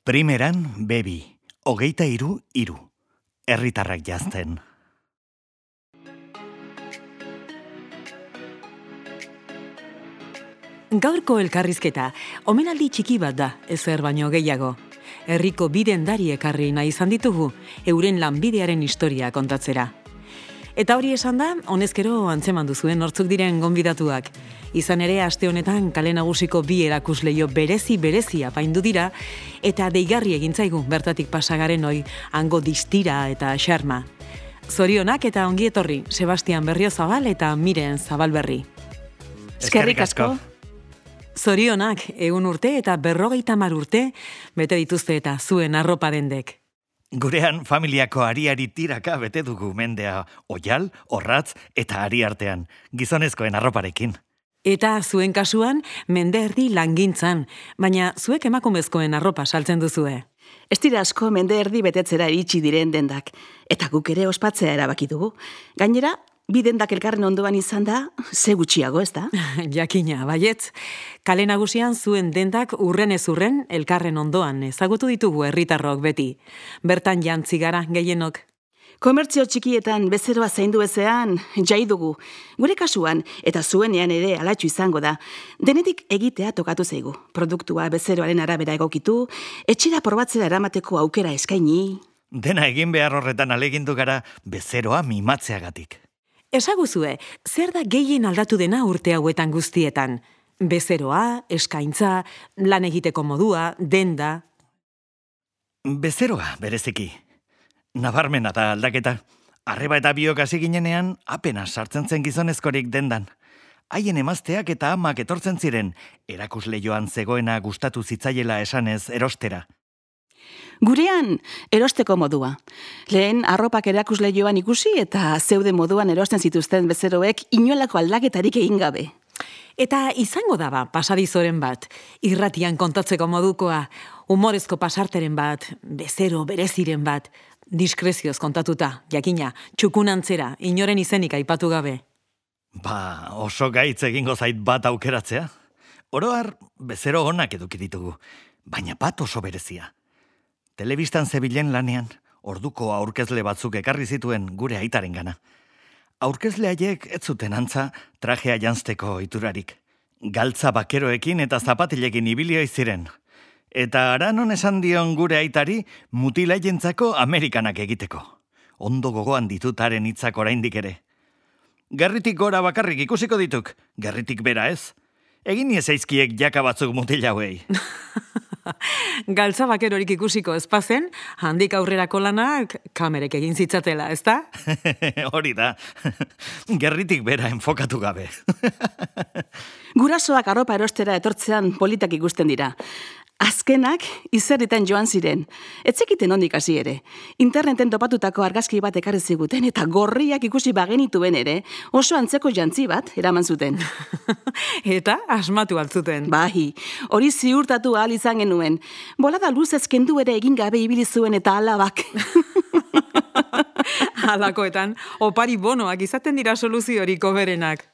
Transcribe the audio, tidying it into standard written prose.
Primeran, bebi, 23:3. Herritarrak jazten. Gaurko elkarrizketa, omenaldi txiki bat da, ezer baino gehiago. Herriko bi dendari ekarri nahi izan ditugu, euren lanbidearen historia kontatzera. Eta hori esan da, honezkero antzeman duzuen nortzuk diren gonbidatuak. Izan ere, aste honetan kale nagusiko bi erakusleio berezi apaindu dira, eta deigarri egintzaigu bertatik pasagaren hoi, hango distira eta xarma. Zorionak eta ongi etorri, Sebastian Berriozabal eta Miren Zabalberri. Eskerrik asko. Zorionak, 100 urte eta 50 urte, bete dituzte eta zuen arropa dendek. Gurean familiako ariari tiraka bete dugu mendea, oial, orratz eta ari artean, gizonezkoen arroparekin. Eta zuen kasuan, mende erdi langintzan, baina zuek emakumezkoen arropa saltzen duzue. Ez dira asko mende erdi betetzera iritsi diren dendak, eta guk ere ospatzea erabaki dugu. Gainera, bi dendak elkarren ondoan izan da, ze gutxiago, ez da? Jakina, baietz. Kale nagusian zuen dendak urrenez urren elkarren ondoan ezagutu ditugu herritarrok beti. Bertan jantzi gara gehienok. Komertzio txikietan bezeroa zaindu ezean, jai dugu. Gure kasuan, eta zuenean ere alatxu izango da, denetik egitea tokatu zaigu. Produktua bezeroaren arabera egokitu, etxera probatzera eramateko aukera eskaini. Dena egin behar horretan alegindu gara bezeroa mimatzeagatik. Esaguzue, zer da gehien aldatu dena urte hauetan guztietan? Bezeroa, eskaintza, lan egiteko modua, denda. Bezeroa, bereziki. Nabarmena da aldaketa. Arreba eta biok hasi ginenean, apenas sartzen zen gizonezkorik dendan. Haien emazteak eta amak etortzen ziren, erakusleioan zegoena gustatu zitzaiela esanez erostera. Gurean, erosteko modua. Lehen arropak erakusleioan ikusi eta zeude moduan erosten zituzten bezeroek inolako aldaketarik egin gabe. Eta izango daba pasadizoren bat, irratian kontatzeko modukoa, humorezko pasarteren bat, bezero bereziren bat, diskrezioz kontatuta, jakina, txukunantzera, inoren izenik aipatu gabe. Ba, oso gaitz egingo zait bat aukeratzea. Oro har, bezero onak eduki ditugu, baina bat oso berezia. Telebistan zebilen lanean, orduko aurkezle batzuk ekarri zituen gure aitaren gana. Aurkezle haiek ez zuten antza trajea janzteko iturarik. Galtza bakeroekin eta zapatilekin ibilio ziren. Eta aranon esan dion gure aitari mutilaientzako Amerikanak egiteko. Ondo gogoan ditutaren hitzak oraindik ere. Gerritik gora bakarrik ikusiko dituk, gerritik bera ez. Egin niezaizkiek jaka batzuk mutil hauei. Galtza bakerorik ikusiko ezpazen, handik aurrerako lanak kamerek egin zitzatela, ezta? Hori da, gerritik bera enfokatu gabe. Gurasoak arropa erostera etortzean politak ikusten dira. Azkenak izerritan joan ziren. Etzekiten ondik hasi ere. Interneten topatutako argazki bat ekarri ziguten eta gorriak ikusi bagenituen ere, oso antzeko jantzi bat eraman zuten. Eta asmatu altzuten. Bai, hori ziurtatu ahal izan genuen. Bolada luzez kendu ere egin gabe ibili zuen eta alabak. Halakoetan, opari bonoak izaten dira soluziorik hoberenak.